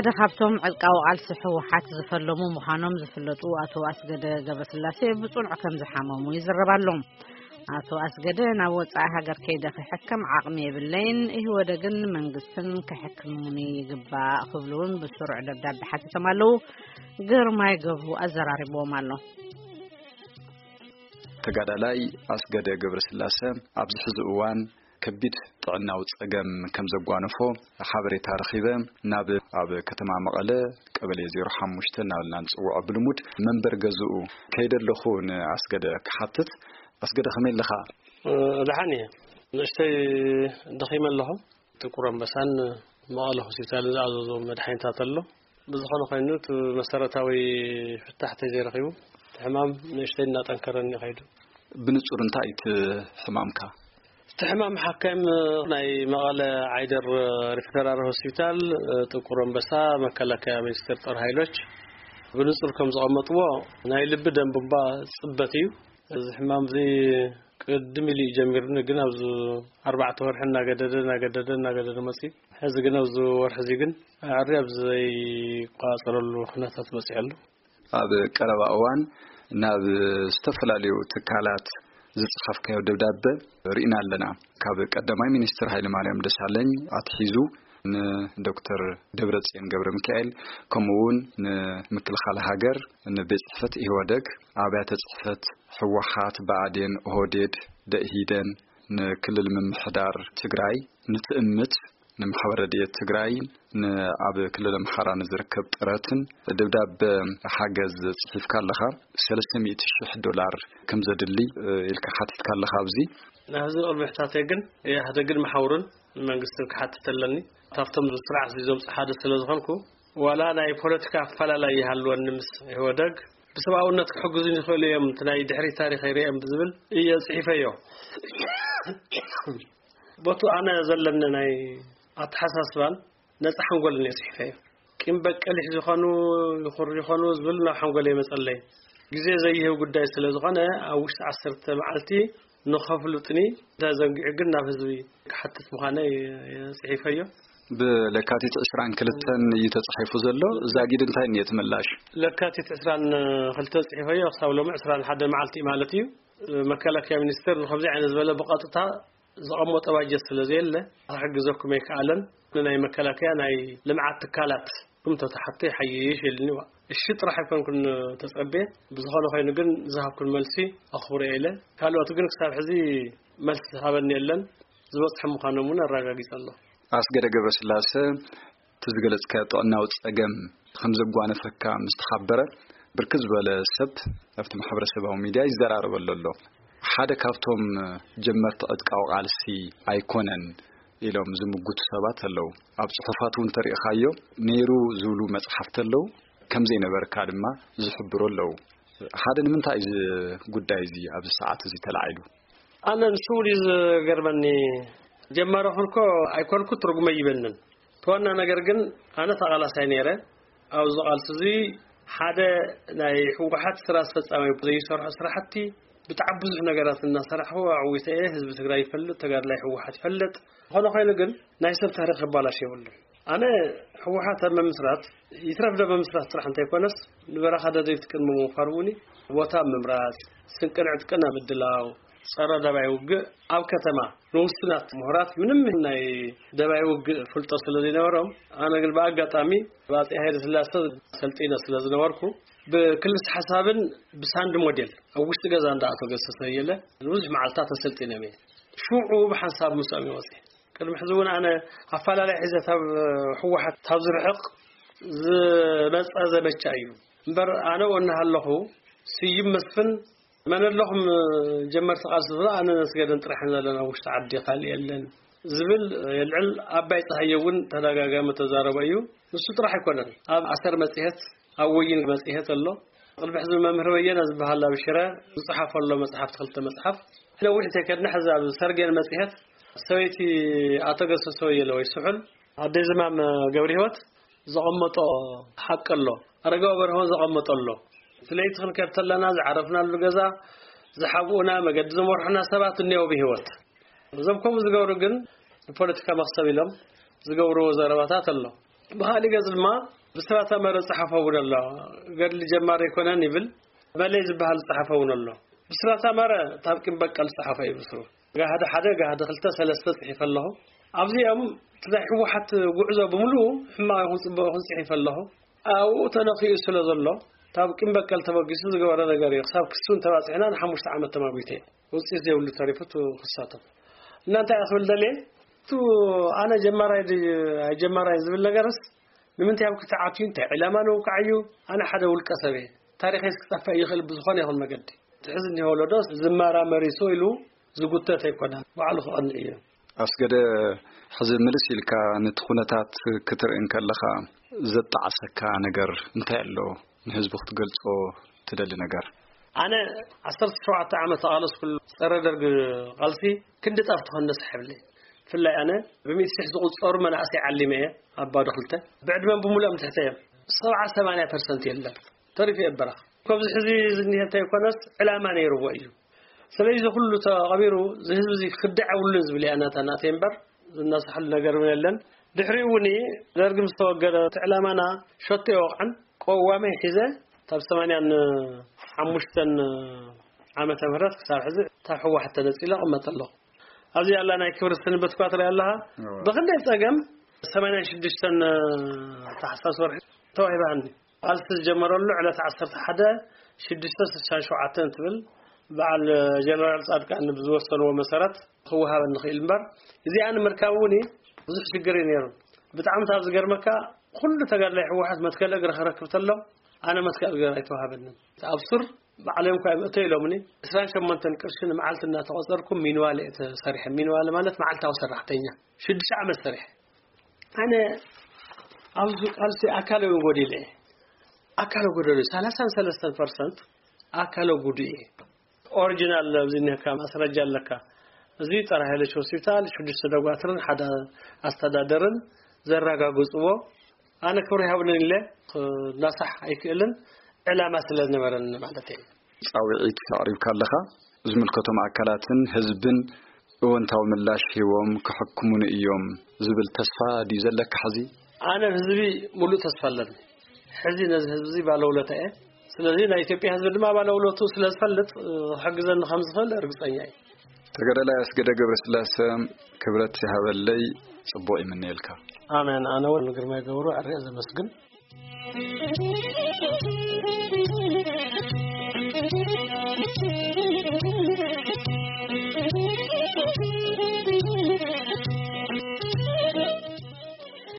ሓደ ካብቶም ዕጥቃዊ ቃልሲ ህወሓት ዝፈለሙ ምዃኖም ዝፍለጡ ኣቶ ኣስገደ ገብረስላሴ ብጽኑዕ ከም ዝሓመሙ ይዝረብ ኣሎ። ኣቶ ኣስገደ ናብ ወጻኢ ሃገር ከይደ ክሕከም ዓቕሚ የብለይን፣ ኢህወደግን መንግስትን ክሕክሙኒ ይግባእ ክብሉ እውን ብስሩዕ ደብዳቤ ሓቲቶም ኣለዉ። ግርማይ ገብሩ ኣዘራሪብዎም ኣሎ። ተጋዳላይ ኣስገደ ገብረስላሰ ኣብዚ ሕዚ እዋን ከቢድ ጥዕናዊ ጸገም ከም ዘጓነፎ ሓበሬታ ረኺበ። ናብ ኣብ ከተማ መቐለ ቀበሌ ዜሮ ሓሙሽተ እናበልና ንጽውዖ ብልሙድ መንበር ገዝኡ ከይደ ኣለኹ ንኣስገደ ክሓትት። ኣስገደ ከመይ ኣለኻ? እ፣ ደሓን እየ። ንእሽተይ ደኺመ ኣለኹ። ጥቁር ኣንበሳን መቐለ ሆስፒታልን ዝኣዘዞ መድሓኒታት ኣሎ። ብዝኾነ ኮይኑ እቲ መሰረታዊ ፍታሕ ተዘይረኺቡ እቲ ሕማም ንእሽተይ እናጠንከረኒ ከይዱ። ብንጹር እንታይ እቲ ሕማምካ? እቲ ሕማም ሓካይም ናይ መቐለ ዓይደር ሪፈራል ሆስፒታል፣ ጥቁር ኣንበሳ፣ መከላከያ ሚኒስቴር ጦር ኃይሎች ብንጹር ከም ዘቐመጥዎ ናይ ልቢ ደም ቡንባ ጽበት እዩ። እዚ ሕማም እዚ ቅድም ኢሉ እዩ ጀሚሩኒ፣ ግን ኣብዚ ኣርባዕተ ወርሒ እናገደደ፣ እናገደደ፣ እናገደደ መጺኡ። ሕዚ ግን ኣብዚ ወርሒ እዚ ግን ኣዕሪ ኣብ ዘይቋጸረሉ ኩነታት በጺሑ ኣሎ። ኣብ ቀረባ እዋን ናብ ዝተፈላለዩ ትካላት ዝጸሓፍካዮ ደብዳበ ርኢና ኣለና። ካብ ቀዳማይ ሚኒስትር ሃይለማርያም ደሳለኝ ኣትሒዙ ንዶክተር ደብረጽዮን ገብረ ሚካኤል፣ ከምኡ እውን ንምክልኻል ሃገር፣ ንቤት ጽሕፈት ኢህወደግ፣ ኣብያተ ጽሕፈት ህወሓት፣ ብኣዴን፣ ኦህዴድ፣ ደኢህዴን፣ ንክልል ምምሕዳር ትግራይ፣ ንትእምት፣ ንማሕበር ረድኤት ትግራይ፣ ንኣብ ክልል ኣምሓራ ንዝርከብ ጥረትን ደብዳበ ሓገዝ ጽሒፍካ ኣለኻ። ሰለስተ ሚእቲ ሽሕ ዶላር ከም ዘድሊ፣ እ፣ ኢልካ ሓቲትካ ኣለኻ። ኣብዚ ናብ ህዝቢ ቅድሚ ሕታተይ ግን ኢህወደግን መሓውሩን ንመንግስትን ክሓትት ኣለኒ። ካብቶም ስርዓት ሒዞም ሓደ ስለ ዝኾንኩ፣ ዋላ ናይ ፖለቲካ ኣፈላላይ ይሃልወኒ ምስ ኢህወደግ፣ ብሰብኣውነት ክሕግዙኒ ይኽእሉ እዮም፣ እቲ ናይ ድሕሪት ታሪኸይ ርእዮም ብዝብል እየ ጽሒፈዮ። ቦቱ ኣነ ዘለኒ ናይ ኣተሓሳስባን ነጻ ሓንጎልን እየ ጽሒፈዮ። ቂም በቀል ይኾኑ፣ ይኹር ይኾኑ ዝብል ናብ ሓንጎል የመጸለይ። ግዜ ዘይህብ ጉዳይ ስለ ዝኾነ፣ ኣብ ውሽጢ ዓሰርተ መዓልቲ ንኸፍሉጥኒ ተዘንጊዑ ግን ናብ ህዝቢ ክሓትት ምዃነይ ጽሒፈዮ። ብለካቲት ዕስራን ክልተን እዩ ተጻሒፉ ዘሎ። ዛጊድ እንታይ እኒኦ እቲ ምላሽ? ለካቲት ዕስራን ክልተን ጽሒፈዮ፣ ክሳብ ሎሚ ዕስራን ሓደ መዓልቲ ማለት እዩ። መከላከያ ሚኒስቴር ንኸምዚ ዓይነት ዝበለ ብቐጥታ ዘቐመጦ ባጀት ስለ ዘየለ፣ ክሕግዘኩም ኣይከኣለን። ንናይ መከላከያ ናይ ልምዓት ትካላት ኩም ተተሓቶ ይሓይሽ ኢልኒ። እዋ፣ እሺ ጥራሕ ኣይኮንኩን ተጸቤ። ብዝኾነ ኮይኑ ግን ዝሃብኩን መልሲ ኣኽብሮ ኢለ። ካልኦት ግን ክሳብ ሕዚ መልሲ ዝሃበኒ የለን። ዝበጽሐ ምዃኖም እውን ኣረጋጊጸ ኣለኹ። ኣስገደ ገብረስላሰ፣ እቲ ዝገለጽካዮ ጥዕናዊ ጸገም ከም ዘጓነፈካ ምስ ተሓበረ፣ ብርክት ዝበለ ሰብ ኣብቲ ማሕበረሰባዊ ሚድያ ይዘራረበሉ ኣሎ። ሓደ ካብቶም ጀመርቲ ዕጥቃዊ ቃልሲ ኣይኮነን ኢሎም ዝምጉቱ ሰባት ኣለዉ። ኣብ ጽሑፋት እውን ተሪእኻዮ ነይሩ ዝብሉ መጽሓፍቲ ኣለዉ። ከም ዘይነበርካ ድማ ዝሕብሩ ኣለዉ። ሓደ ንምንታይ እዚ ጉዳይ እዚ ኣብዚ ሰዓት እዚ ተላዒሉ? ኣነ ንሱ እውን እዩ ዝገርመኒ። ጀማሪ ኮንኮ ኣይኮንኩ ትርጉመ ይበንን። እቲ ዋና ነገር ግን ኣነ ተቓላሳይ ነይረ። ኣብዚ ቃልሲ እዚ ሓደ ናይ ህወሓት ስራ ኣስፈጻሚ ዘይሰርሖ ስራሕቲ ብጣዕሚ ብዙሕ ነገራት እናሰራሕኹ ኣዕዊተ እየ። ህዝቢ ትግራይ ይፈልጥ፣ ተጋድላይ ህወሓት ይፈልጥ። ዝኾነ ኮይኑ ግን ናይ ሰብ ታሪኽ ክባላሽ የብሉን። ኣነ ህወሓት ኣብ ምምስራት ይትረፍ ዶ ምምስራት ጥራሕ እንተይኮነስ ንበረኻ ደደቢት ቅድሚ ምውፋር እውን ቦታ ምምራፅ፣ ስንቅን ዕጥቅን ኣብ ምድላው፣ ጸረ ደባይ ውግእ ኣብ ከተማ ንውሱናት ምሁራት ምንም ናይ ደባይ ውግእ ፍልጦ ስለ ዘይነበሮም፣ ኣነ ግን ብኣጋጣሚ ብኣጼ ሃይለ ስላሰ ሰልጢነ ስለ ዝነበርኩ ብክልስ ሓሳብን ብሳንድ ሞዴል ኣብ ውሽጢ ገዛ እንዳኣቶ ገሰሰ የለ ብዙሕ መዓልታት ተሰልጢነ እየ። ሽዑ ብሓንሳብ ምስኦም ይወፅእ። ቅድሚ ሕዚ እውን ኣነ ኣፈላለይ ሒዘ ካብ ህወሓት ካብ ዝርሕቕ ዝመፀ ዘመቻ እዩ እምበር፣ ኣነ እናሃለኹ ስዩም መስፍን መን ኣለኹም ጀመርቲ ቃልሲ ዝብሎ ኣነ ነስገደን ጥራሕ ዘለና ውሽጢ ዓዲ ካልእ የለን ዝብል የልዕል። ኣባይ ፀሃየ እውን ተደጋጋሚ ተዛረበ እዩ። ንሱ ጥራሕ ኣይኮነን። ኣብ ኣሰር መፅሄት፣ ኣብ ወይን መፅሄት ኣሎ። ቅድሚ ሕዚ መምህር በየነ ዝበሃል ኣብ ሽረ ዝፅሓፈ ኣሎ መፅሓፍቲ፣ ክልተ መፅሓፍ። ነዊሕ እንተይከድና ሕዚ ኣብ ሰርጌን መፅሄት ሰበይቲ ኣቶ ገሰሰ ወየለ ወይ ስሑል ኣደይ ዝማም ገብረ ህይወት ዘቐመጦ ሓቂ ኣሎ። ኣረጋዊ በርሆ ዘቐመጦ ኣሎ። እቲ ለይቲ ክንከድ ተለና ዝዓረፍናሉ ገዛ ዝሓብኡና፣ መገዲ ዝመርሑና ሰባት እኒአው ብህይወት። እዞም ከምኡ ዝገብሩ ግን ንፖለቲካ መኽሰብ ኢሎም ዝገብርዎ ዘረባታት ኣሎ። ብኻሊእ ገጽ ድማ ብስራታ መረ ዝጸሓፈ እውን ኣሎ። ገድሊ ጀማሪ ኣይኮነን ይብል። በለይ ዝበሃል ዝጸሓፈ እውን ኣሎ። ብስራታ መረ ታብ ቂም በቀል ዝጸሓፈ እዩ ብስሩ። ጋህዲ ሓደ፣ ጋህዲ ክልተ፣ ሰለስተ ጽሒፈ ኣለኹ። ኣብዚኦም እቲ ናይ ህወሓት ጉዕዞ ብምሉኡ ሕማቕ ይኹን ጽቡቕ ይኹን ጽሒፈ ኣለኹ። ኣብኡ ተነኺኡ ስለ ዘሎ፣ ካብ ቂም በቀል ተበጊሱ ዝገበረ ነገር እዩ። ክሳብ ክሱ እንተባጺሕና ንሓሙሽተ ዓመት ተማጒተ። ውጽኢት ዘይብሉ ተሪፉ፣ ክሳቶም። እና እንታይ እያ ክብል ደልየ? እቱ ኣነ ጀማራይ ድዩ ኣይጀማራይ ዝብል ነገርስ፣ ንምንታይ ኣብ ክልተ ዓትዩ፣ እንታይ ዕላማ ንውቃዕ እዩ? ኣነ ሓደ ውልቀ ሰብ እየ። ታሪኸይ ክጠፍእ ይኽእል ብዝኾነ ይኹን መገዲ። ትሕዚ እኒሆ ወለዶ ዝመራመር እዩ ኢሉ ዝጉተት ኣይኮነን። ባዕሉ ክቐንዕ እዩ። ኣስገደ፣ ሕዚ ምልስ ኢልካ ነቲ ኩነታት ክትርኢ እንከለኻ ዘጣዓሰካ ነገር እንታይ ኣሎ? ንህዝቢ ክትገልጾ ትደሊ ነገር? ኣነ ዓሰርተ ሸውዓተ ዓመት ተቓለስኩሉ ጸረ ደርግ ቃልሲ ክንዲ ጣፍ ትኾን ነስሕብለይ። ብፍላይ ኣነ ብሚእቲ ሽሕ ዝቑጸሩ መናእሰይ ዓሊመ እየ ኣብ ባዶ ክልተ። ብዕድመን ብምሉኦም ትሕተ እዮም። ሰብዓ ሰማንያ ፐርሰንት የለን። ተሪፉ እየ በረኻ። ካብዚ ሕዚ ዝኒሀ እንተይኮነስ ዕላማ ነይርዎ እዩ። ስለዚ ኩሉ ተቐቢሩ፣ እዚ ህዝቢ እዚ ክድዕ የብሉን ዝብል እያ ናታ ናተይ እምበር፣ ዝነሳሕሉ ነገር እውን የለን። ድሕሪኡ እውን ደርግ ምስ ተወገደ፣ እቲ ዕላማና ሸቶ ይወቕዕን፣ ቀዋመይ ሒዘ፣ ካብ ሰማንያን ሓሙሽተን ዓመተ ምህረት ክሳብ ሕዚ፣ ካብ ህወሓት ተነጺለ እቕመጥ ኣለኹ። ኣብዚ ኣላ ናይ ክብሪ ስንበት እኳ ትርኢ ኣለኻ። እወ። ብኽንደይ ጸገም ሰማንያን ሽዱሽተን ታሕሳስ ወርሒ ተዋሂባኒ። ቃልሲ ዝጀመረሉ ዕለት ዓሰርተ ሓደ ሽዱሽተ ስሳን ሸውዓተን ትብል፣ በዓል ጀነራል ጻድቃን ብዝወሰንዎ መሰረት ክወሃበኒ ክእል እምበር፣ እዚኣ ንምርካብ እውን ብዙሕ ሽግር እዩ ነይሩ። ብጣዕሚ ካብ ዝገርመካ፣ ኩሉ ተጋድላይ ህወሓት መትከል እግሪ ክረክብ ተሎ፣ ኣነ መትከል እግሪ ኣይተዋሃበንን። ኣብ ሱር ባዕሎም እኳ እዮም እቶ ኢሎምኒ። ዕስራን ሸሞንተን ቅርሺ ንመዓልቲ እናተቖጸርኩ ሚንዋለ እየ ተሰሪሐ። ሚንዋለ ማለት መዓልታዊ ሰራሕተኛ። ሽዱሽተ ዓመት ሰሪሐ። ኣነ ኣብዚ ቃልሲ ኣካለ እውን ጎዲለ እየ። ኣካለ ጎደሎ፣ ሰላሳን ሰለስተን ፐርሰንት ኣካለ ጉዱእ እየ። ኦሪጂናል ኣብዚ እኒሀካ ማስረጃ ኣለካ። እዚ ጸረ ሃይለሽ ሆስፒታል፣ ሽዱሽተ ደጓትርን ሓደ ኣስተዳደርን ዘረጋግጽዎ። ኣነ ክብሪ ይሃብልን ኢለ ክናሳሕ ኣይክእልን፣ ዕላማ ስለ ዝነበረኒ ማለት እየ። ጻውዒት ኣቕሪብካ ኣለኻ። ዝምልከቶም ኣካላትን ህዝብን እወንታዊ ምላሽ ሂቦም ክሕክሙኒ እዮም ዝብል ተስፋ ድዩ ዘለካ ሕዚ? ኣነ ህዝቢ ሙሉእ ተስፋ ኣለኒ። ሕዚ ነዚ ህዝቢ እዚ ባለውለታ እየ። ስለዚ ናይ ኢትዮጵያ ህዝቢ ድማ ባለውለቱ ስለ ዝፈልጥ፣ እ፣ ክሕግዘኒ ከም ዝኽእል ርግጸኛ እየ። ተጋዳላይ ኣስገደ ገብረስላሰ፣ ክብረት ይሃበለይ፣ ጽቡቕ ይምነየልካ። ኣሜን። ኣነ እውን ንግርማይ ገብሩ ኣርየ ዘመስግን።